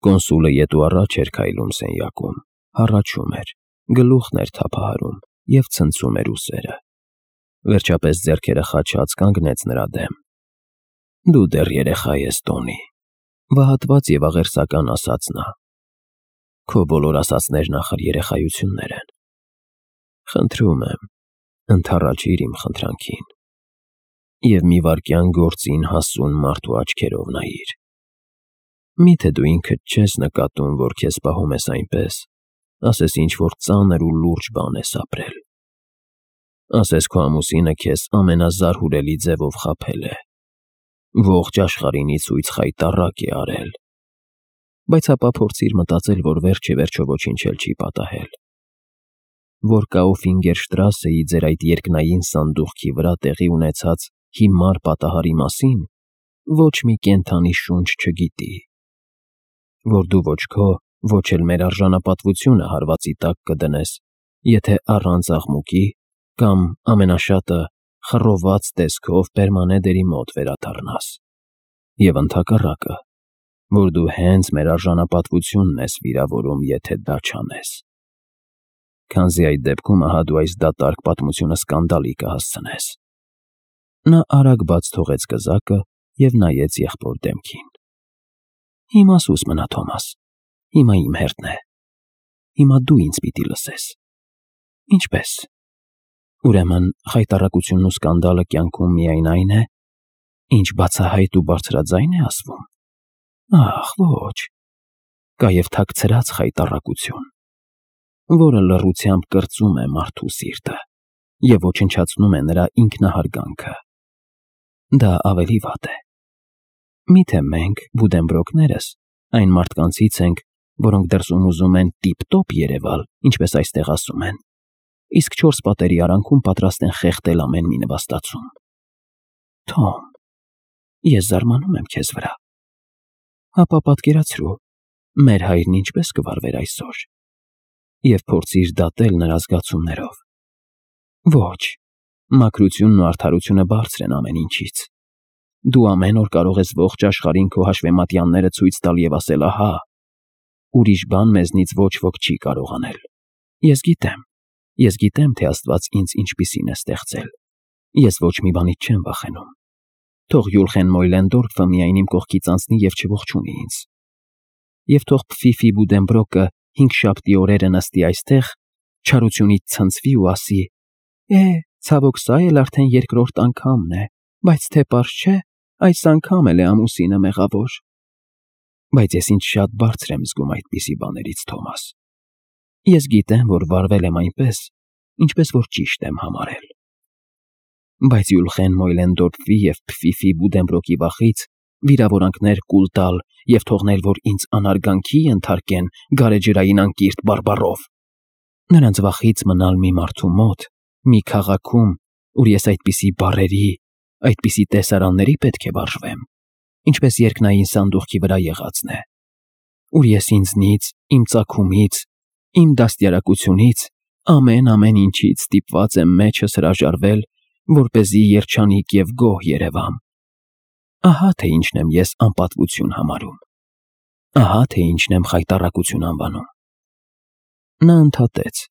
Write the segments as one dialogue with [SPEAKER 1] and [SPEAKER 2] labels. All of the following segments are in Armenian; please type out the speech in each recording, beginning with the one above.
[SPEAKER 1] Կոնսուլը ետ ու առաջ էր քայլում սենյակում, հառաչում էր, գլուխն էր թափահարում և ցնցում էր ուսերը։ Վերջապես ձեռքերը խաչած կանգնեց նրա դեմ։ Դու դեռ երեխա ես, Տոնի, վհատված և աղերսական ասաց նա։ Քո բոլոր ասածներն ախր երեխայություններ են։ Խնդրում եմ, ընդառաջիր իմ խնդրանքին և մի վայրկյան գործին հասուն մարդու աչքերով նայիր։ Միթե դու ինքդ չես նկատում, որ քեզ պահում ես այնպես, ասես ինչ-որ ծանր ու լուրջ բան ես ապրել։ Ասես քո ամուսինը քեզ ամենազարհուրելի ձևով խաբել է, ողջ աշխարհին ի ցույց խայտառակ է արել։ Բայց ապա փորձիր մտածել, որ վերջ-ի-վերջո ոչինչ էլ չի պատահել։ Որ Կաուֆինգերշտրասեի ձեր այդ երկնային սանդուղքի վրա տեղի ունեցած հիմար պատահարի մասին ոչ մի կենդանի շունչ չգիտի։ Որ դու ոչ քո, ոչ էլ մեր արժանապատվությունը հարվածի տակ կդնես, եթե առանց աղմուկի կամ ամենաշատը խռոված տեսքով պերմանեդերի մոտ վերադառնաս։ Եվ ընդհակառակը, որ դու հենց մեր արժանապատվությունն ես վիրավորում, եթե դա չանես։ Քանզի այդ դեպքում ահա դու այս դատարկ պատմությունը սկանդալի կհասցնես։ Նա արագ բաց թողեց կզակը և նայեց եղբոր դեմքին։ Հիմա սուս մնա, Թոմաս, հիմա իմ հերթն է։ Հիմա դու ինձ պիտի լսես։ Ինչպե՞ս։ Ուրեմն խայտառակությունն ու սկանդալը կյանքում միայն այն է, ինչ բացահայտ ու բարձրաձայն է ասվում։ Ախ, ոչ։ Կա և թաքցրած խայտառակություն, որը լռությամբ կրծում է մարդու սիրտը և ոչնչացնում է նրա ինքնահարգանքը։ Դա ավելի վատ է։ Միթե մենք, Բուդենբրոկներս, այն մարդկանցից ենք, որոնք դրսում ուզում են տիպ-տոպ երևալ, ինչպես այստեղ ասում են, իսկ չորս պատերի արանքում պատրաստ են խեղդել ամեն մի նվաստացում։ Թոմ, ես զարմանում եմ քեզ վրա։ Հապա պատկերացրու, մեր հայրն ինչպես կվարվեր այսօր, և փորձիր դատել նրա զգացումներով։ Ոչ, մաքրությունն ու արդարությունը բարձր են ամեն ինչից։ Դու ամեն օր կարող ես ողջ աշխարհին քո հաշվեմատյանները ցույց տալ և ասել ահա, ուրիշ բան մեզնից ոչ ոք չի կարող անել։ Ես գիտեմ, թե Աստված ինձ ինչպիսին է ստեղծել։ Ես ոչ մի բանից չեմ վախենում։ Թող Յուլխեն Մոյլենդորֆը միայն իմ կողքից անցնի և չողջունի ինձ։ Եվ թող Փֆիֆի Բուդենբրոկը 5 շաբթի օրերը նստի այստեղ, չարությունից ցնցվի ու ասի. ցավոք, սա էլ արդեն երկրորդ անգամն է, բայց թե պարզ չէ, այս անգամ էլ է ամուսինը մեղավոր։ Բայց ես ինձ շատ բարձր եմ զգում այդպիսի բաներից, Թոմաս։ Ես գիտեմ, որ վարվել եմ այնպես, ինչպես որ ճիշտ եմ համարել։ Բայց Յուլխեն Մոյլենդորֆի և Փֆիֆի Բուդենբրոկի վախից վիրավորանքներ կուլ տալ և թողնել, որ ինձ անարգանքի ենթարկեն գարեջրային անկիրթ բարբառով։ Նրանց վախից մնալ մի մարդու մոտ, մի քաղաքում, ուր ես այդպիսի բառերի, այդպիսի տեսարանների պետք է վարժվեմ, ինչպես երկնային սանդուղքի վրա եղածն է, ուր ես ինձնից, իմ ծագումից, իմ դաստիարակությունից, ամեն ինչից ստիպված եմ մեջս հրաժարվել, որպեսզի երջանիկ և գոհ երևամ։ Ահա թե ինչն եմ ես անպատվություն համարում։ Ահա թե ինչն եմ խայտառակություն անվանում։ Նա ընդհատեց,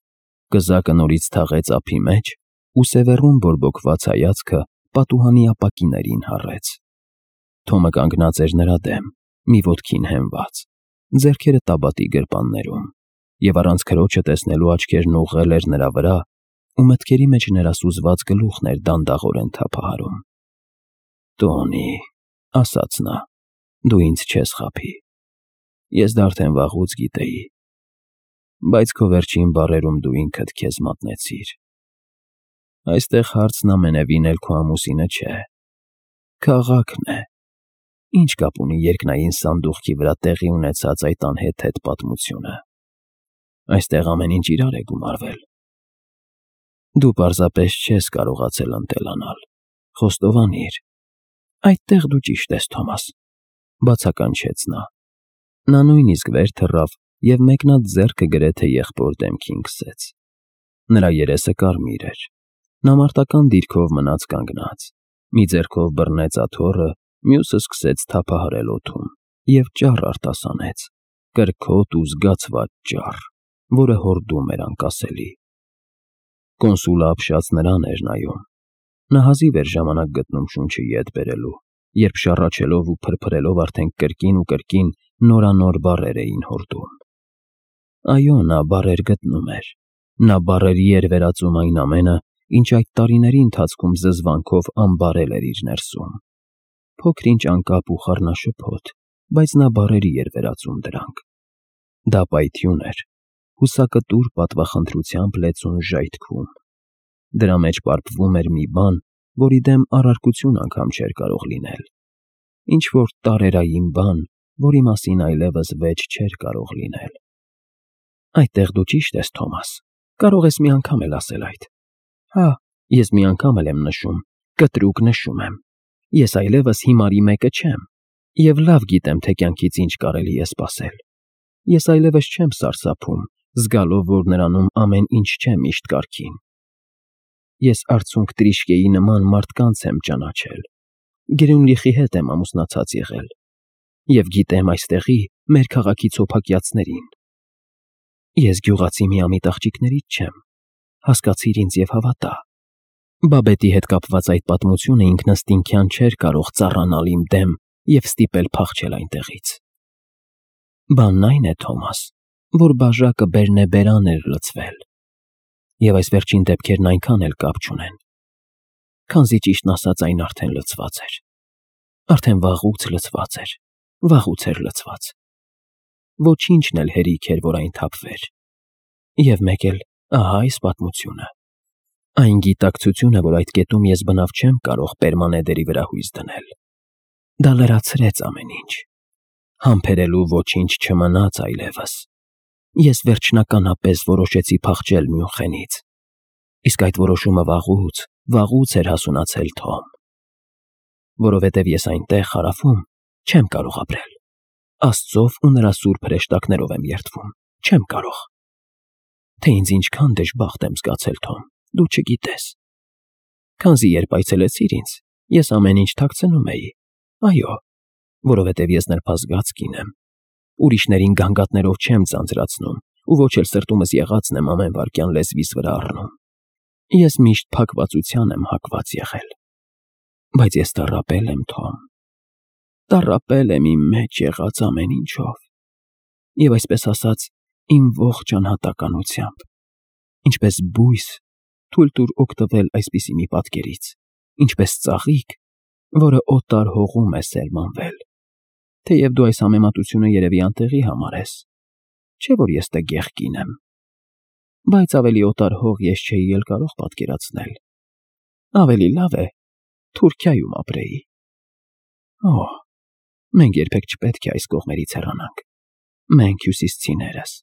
[SPEAKER 1] կզակը նորից թաղեց ափի մեջ ու սևեռուն բորբոքված հայացքը պատուհանի ապակիներին հառեց։ Թոմը կանգնած էր նրա դեմ, մի ոտքին հենված, ձեռքերը տաբատի գրպաններում, և առանց քրոջը տեսնելու աչքերն ուղղել էր նրա վրա ու մտքերի մեջ ներասուզված գլուխն էր դանդաղորեն թափահարում։ Տոնի, ասաց նա, դու ինձ չես խաբի։ Ես դա արդեն վաղուց գիտեի։ Բայց քո վերջին բառերում դու ինքդ քեզ մատնեցիր։ Այստեղ հարցն ամենևին էլ քո ամուսինը չէ։ Քաղաքն է։ Ինչ կապ ունի երկնային սանդուղքի վրա տեղի ունեցած այդ անհեթեթ պատմությունը։ Այստեղ ամեն ինչ իրար է գումարվել։ Դու պարզապես չես կարողացել ընտելանալ։ Խոստովանիր։ Այդտեղ դու ճիշտ ես, Թոմաս, բացականչեց նա։ Նա նույնիսկ վեր թռավ և մեկնած ձեռքը գրեթե եղբոր դեմքին քսեց։ Նրա երեսը կարմիր էր։ Նա մարտական դիրքով մնաց կանգնած։ Մի ձեռքով բռնեց աթոռը, մյուսը սկսեց թափահարել օդում և ճառ արտասանեց, կրքոտ ու զգացված ճառ, որը հորդում էր անկասելի։ Կոնսուլը ապշած նրան էր նայում։ Նա հազիվ էր ժամանակ գտնում շունչը ետ բերելու, երբ շառաչելով ու փրփրելով արդեն կրկին ու կրկին նորանոր բառեր էին հորդում։ Այո, նա բառեր գտնում էր։ Նա բառերի էր վերածում այն ամենը, ինչ այդ տարիների ընթացքում զզվանքով անբարել էր իր ներսում։ Փոքր-ինչ անկապ ու խառնաշփոթ, բայց նա բառերի էր վերածում դրանք։ Դա պայթյուն էր, հուսակտուր պատվախնդրությամբ լեցուն ժայթքում։ Դրա մեջ պարփվում էր մի բան, որի դեմ առարկություն անգամ չէր կարող լինել։ Ինչ-որ տարերային բան, որի մասին այլևս վեճ չէր կարող լինել։ Այդտեղ դու ճիշտ ես, Թոմաս, կարող ես մի անգամ էլ ասել այդ։ Հա, ես մի անգամ էլ եմ նշում, կտրուկ նշում եմ։ Ես այլևս հիմարի մեկը չեմ, և լավ գիտեմ, թե կյանքից ինչ կարելի է սպասել։ Ես այլևս չեմ սարսափում, զգալով, որ նրանում ամեն ինչ չէ միշտ կարգին։ Ես արցունք Տրիշկեի նման մարդկանց եմ ճանաչել, Գրյունլիխի հետ եմ ամուսնացած եղել, և գիտեմ այստեղի մեր քաղաքի ցոփակյացներին։ Ես գյուղացի միամիտ աղջիկներից չեմ, հասկացիր ինձ և հավատա։ Բաբետի հետ կապված այդ պատմությունը ինքնըստինքյան չէր կարող ծառանալ իմ դեմ և ստիպել փախչել այնտեղից։ Բանն այն է, Թոմաս, որ բաժակը բերնեբերան էր լցվել, և այս վերջին դեպքերն այնքան էլ կապ չունեն, քանզի ճիշտն ասած այն արդեն լցված էր։ Արդեն վաղուց լցված էր, վաղուց էր լցված։ Ոչինչն էլ հերիք էր, որ այն թափվեր։ Եվ մեկ էլ ահա այս պատմությունը։ Այն գիտակցությունը, որ այդ կետում ես բնավ չեմ կարող պերմանեդերի վրա հույս դնել։ Դա լրացրեց ամեն ինչ։ Համբերելու ոչինչ չմնաց այլևս։ Ես վերջնականապես որոշեցի փախչել Մյունխենից։ Իսկ այդ որոշումը վաղուց էր հասունացել, Թոմ։ Որովհետև ես այնտեղ հարավում չեմ կարող ապրել։ Աստծով ու նրա սուրբ հրեշտակներով եմ երդվում, չեմ կարող։ Թե ինձ ինչքան դժբախտ եմ զգացել, Թոմ, դու չգիտես։ Քանզի երբ այցելեցիր ինձ, ես ամեն ինչ թաքցնում էի։ Այո, որովհետև ես նրբազգաց կին եմ։ Ուրիշներին գանգատներով չեմ ձանձրացնում ու ոչ էլ սրտումս եղածն եմ ամեն վայրկյան լեզվիս վրա առնում։ Ես միշտ փակվածության եմ հակված եղել։ Բայց ես տառապել եմ, Թոմ։ Տառապել եմ իմ մեջ եղած ամեն ինչով։ Եվ այսպես ասած, իմ ողջ անհատականությամբ։ Ինչպես բույս, թույլ տուր օգտվել այսպիսի մի պատկերից, ինչպես ծաղիկ, որը օտար հողում է սերմանվել։ Թեև դու այս համեմատությունը երևի անտեղի համարես, չէ՞ որ ես տգեղ կին եմ, բայց ավելի օտար հող ես չէի էլ կարող պատկերացնել։ Ավելի լավ է Թուրքիայում ապրեի։ Օհ, մենք երբեք չպետք է այս կողմերից հեռանանք։ Մենք հյուսիսցիներս։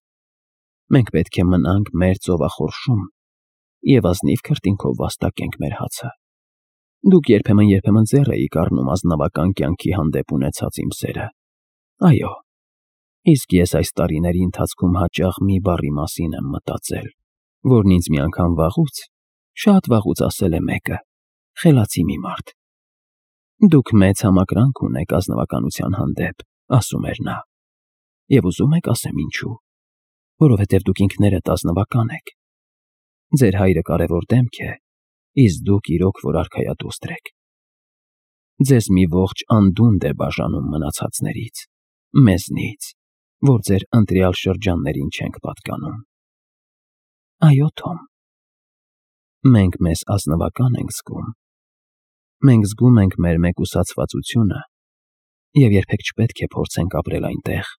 [SPEAKER 1] Մենք պետք է մնանք մեր ծովախորշում և ազնիվ քրտինքով վաստակենք մեր հացը։ Դուք երբեմն ձեռ էիք առնում ազնվական կյանքի հանդեպ ունեցած իմ սերը։ Այո, իսկ ես այս տարիների ընթացքում հաճախ մի բառի մասին եմ մտածել, որն ինձ մի անգամ վաղուց, շատ վաղուց ասել է մեկը, խելացի մի մարդ։ Դուք մեծ համակրանք ունեք ազնվականության հանդեպ, ասում էր նա։ Եվ ուզում եք ասեմ ինչու։ Որովհետև դուք ինքներդ ազնվական եք։ Ձեր հայրը կարևոր դեմք է, իսկ դուք իրոք որ արքայադուստր եք։ Ձեզ մի ողջ անդունդ է բաժանում մնացածներից, մեզնից, որ ձեր ընտրյալ շրջաններին չենք պատկանում։ Այո, Թոմ։ Մենք մեզ ազնվական ենք զգում։ Մենք զգում ենք մեր մեկուսացվածությունը և երբեք չպետք է փորձենք ապրել այնտեղ,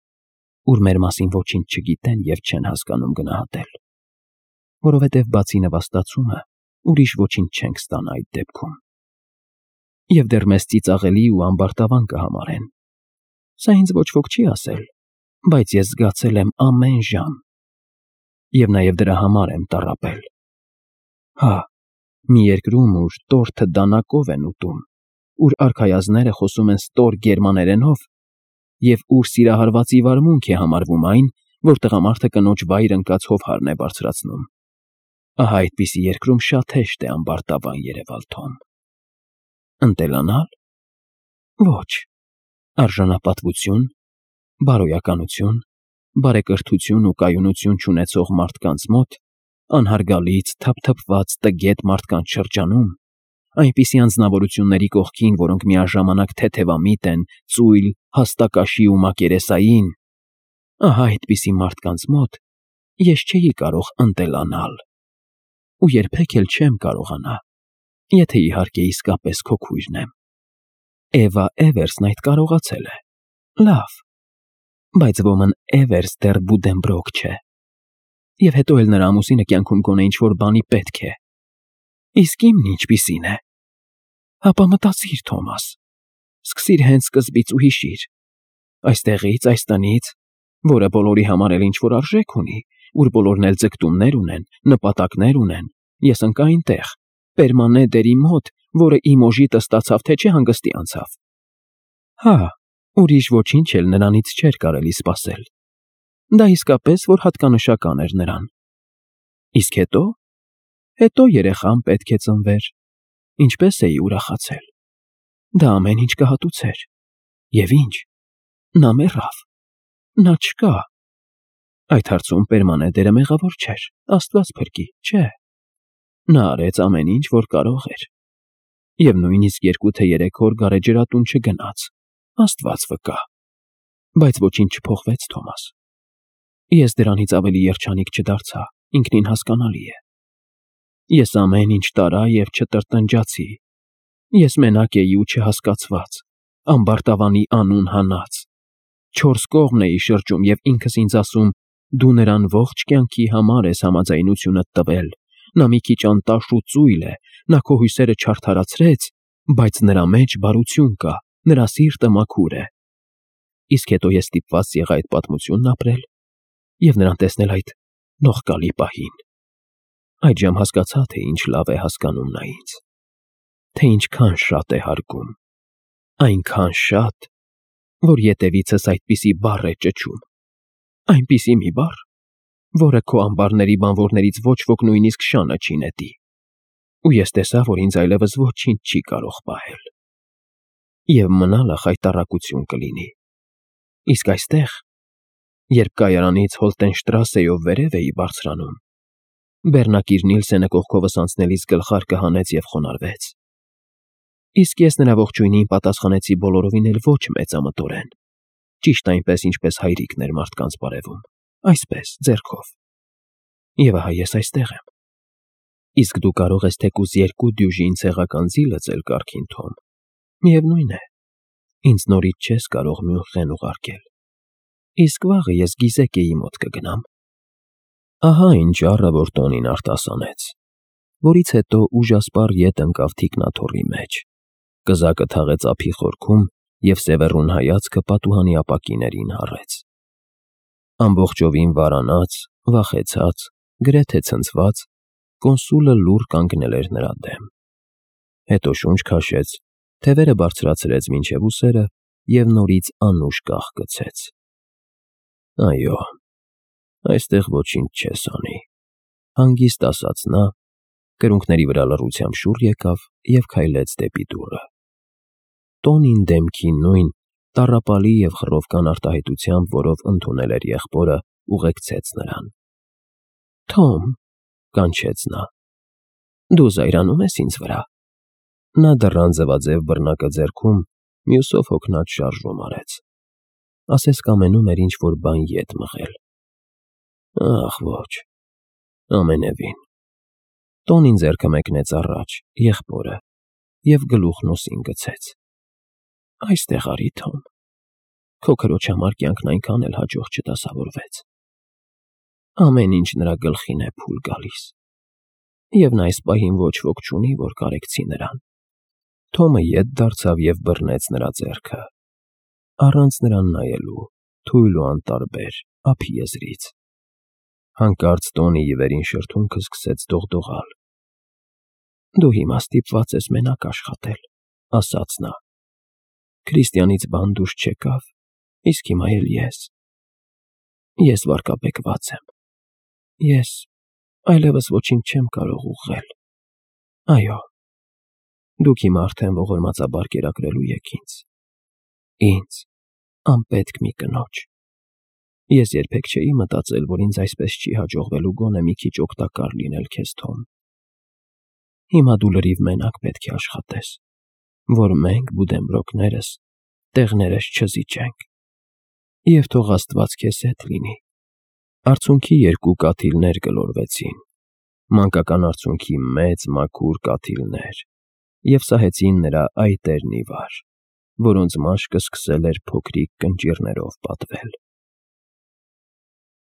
[SPEAKER 1] ուր մեր մասին ոչինչ չգիտեն և չեն հասկանում գնահատել, որովհետև բացի նվաստացումը ուրիշ ոչինչ չենք ստանա այդ դեպքում։ Եվ դեռ մեզ ծիծաղելի ու ամբարտավան կհամարեն։ Սա ինձ ոչ ոք չի ասել, բայց ես զգացել եմ ամեն ժամ։ Եվ նաև դրա համար եմ տառապել։ Հա, մի երկրում, ուր տորթը դանակով են ուտում, ուր արքայազները խոսում են ստոր գերմաներենով, և ուր սիրահարվածի վարմունք է համարվում այն, որ տղամարդը կնոջ վայր ընկած հովհարն է բարձրացնում։ Ահա այդպիսի երկրում շատ հեշտ է ամբարտավան երևալ, Թոմ։ Ընտելանալ։ Ոչ։ Արժանապատվություն, բարոյականություն, բարեկրթություն ու կայունություն չունեցող մարդկանց մոտ, անհարգալից, թափթփված տգետ մարդկանց շրջանում, այնպիսի անձնավորությունների կողքին, որոնք միաժամանակ թեթևամիտ են, ծույլ, հաստակաշի ու մակերեսային, ահա այդպիսի մարդկանց մոտ ես չէի կարող ընտելանալ ու երբեք էլ չեմ կարողանա, եթե իհարկե իսկապես քո քույրն եմ։ Էվա Էվերսն այդ կարողացել է։ Լավ, բայց ոմն Էվերս դեռ Բուդենբրոկ չէ։ Եվ հետո էլ նրա ամուսինը կյանքում գոնե ինչ-որ բանի պետք է։ Իսկ իմն ինչպիսին է։ Հապա մտածիր, Թոմաս, սկսիր հենց սկզբից ու հիշիր։ Այստեղից, այս տնից, որը բոլորի համար էլ ինչ-որ արժեք ունի, ուր բոլորն էլ ձգտումներ ունեն, նպատակներ ունեն, ես ընկա այնտեղ, Պերմանե դերի մոտ, որը իմ օժիտը ստացավ, թե չէ հանգստի անցավ։ Հա, ուրիշ ոչինչ էլ նրանից չէր կարելի սպասել։ Դա իսկապես որ հատկանշական էր նրան։ Իսկ հետո։ Հետո երեխան պետք է ծնվեր։ Ինչպես էի ուրախացել։ Դա ամեն ինչ կհատուցեր։ Եվ ինչ։ Նա մեռավ։ Նա չկա։ Այդ հարցում Պերմանե դերը մեղավոր չէր, Աստված փրկի, չէ։ Նա արեց ամեն ինչ, որ կարող էր։ Եվ նույնիսկ 2 թե 3 օր գարեջրատուն չգնաց, Աստված վկա։ Բայց ոչինչ չփոխվեց, Թոմաս։ Ես դրանից ավելի երջանիկ չդարձա, ինքնին հասկանալի է։ Ես ամեն ինչ տարա և չտրտնջացի։ Ես մենակ էի ու չհասկացված, ամբարտավանի անուն հանած։ 4 կողմն էի շրջում և ինքս ինձ ասում. դու նրան ողջ կյանքի համար ես համաձայնությունդ տվել, նա մի քիչ անտաշ ու ծույլ է, նա քո հույսերը չարդարացրեց, բայց նրա մեջ բարություն կա, նրա սիրտը մաքուր է։ Իսկ հետո ես ստիպված եղա այդ պատմությունն ապրել և նրան տեսնել այդ նողկալի պահին։ Այդժամ հասկացա, թե ինչ լավ է հասկանում նա ինձ, թե ինչքան շատ է հարգում, այնքան շատ, որ ետևիցս այդպիսի բառ է ճչում, այնպիսի մի բառ, որը քո ամբարների բանվորներից ոչ ոք նույնիսկ շանը չի նետի, ու ես տեսա, որ ինձ այլևս ոչինչ չի կարող պահել։ Եվ մնալը խայտառակություն կլինի։ Իսկ այստեղ, երբ կայարանից Հոլտենշտրասեով վերև էի բարձրանում, Բեռնակիր Նիլսենը կողքովս անցնելիս գլխարկը հանեց և խոնարհվեց։ Իսկ ես նրա ողջույնին պատասխանեցի բոլորովին էլ ոչ մեծամտորեն, ճիշտ այնպես, ինչպես հայրիկն էր մարդկանց բարևում, այսպես, ձեռքով։ Եվ ահա ես այստեղ եմ։ Իսկ դու կարող ես թեկուզ 2 դյուժին ցեղական ձի լծել կառքին, Թոմ։ Միևնույն է, ինձ նորից չես կարող Մյունխեն ուղարկել։ Իսկ վաղը ես Գիզեկեի մոտ կգնամ։ Ահա ինչ առը, որ տոնին արտասանեց, որից հետո ուժասպառ ետ ընկավ թիկնաթոռի մեջ, կզակը թաղեց ափի խորքում և սևեռուն հայացքը պատուհանի ապակիներին հառեց։ Ամբողջովին վարանած, վախեցած, գրեթե ցնցված, կոնսուլը լուռ կանգնել էր նրա դեմ։ Հետո շունչ քաշեց, թևերը բարձրացրեց մինչև ուսերը և նորից անուշ կաղկցեց։ Այո, այստեղ ոչինչ չես անի, հանգիստ ասաց նա, կրունկների վրա լռությամբ շուռ եկավ և քայլեց դեպի դուռը։ Տոնին դեմքի նույն տառապալի և խռովկան արտահայտությամբ, որով ընդունել էր եղբորը, ուղեկցեց նրան։ Թոմ, կանչեց նա, դու զայրանում ես ինձ վրա։ Նա դռան ձվաձև բռնակը ձեռքում մյուսով հոգնած շարժում արեց։ Ասես կամենում էր ինչ-որ բան ետ մղել։ Ախ, ոչ, ամենևին։ Տոնին ձեռքը մեկնեց առաջ, եղբորը, և գլուխն ուսին գցեց։ Այստեղ արի, Թոմ։ Քո քրոջ համար կյանքն այնքան էլ հաջող չդասավորվեց։ Ամեն ինչ նրա գլխին է փուլ գալիս։ Եվ նա այս պահին ոչ ոք չունի, որ կարեկցի նրան։ Թոմը ետ դարձավ և բռնեց նրա ձեռքը, առանց նրան նայելու, թույլ ու անտարբեր, ափի եզրից։ Հանկարծ Տոնիի վերին շրթունքը սկսեց դողդողալ։ Դու հիմա ստիպված ես մենակ աշխատել, ասաց նա։ Քրիստիանից բան դուրս չեկավ, իսկ հիմա էլ ես։ Ես վարկաբեկված եմ։ Ես այլևս ոչինչ չեմ կարող ուղղել։ Այո, դուք հիմա արդեն ողորմածաբար կերակրելու եք ինձ, անպետք մի կնոջ։ Ես երբեք չէի մտածել, որ ինձ այսպես չի հաջողվելու գոնե մի քիչ օգտակար լինել քեզ, Թոմ։ Հիմա դու լրիվ մենակ պետք է աշխատես, որ մենք, բուդենբրոկներս, տեղներս չզիջենք։ Եվ թող Աստված քեզ հետ լինի։ Արցունքի 2 կաթիլներ գլորվեցին, մանկական արցունքի մեծ մաքուր կաթիլներ, և սահեցին նրա այտերն ի վար, որոնց մաշկը սկսել էր փոքրիկ կնճիռներով պատվել։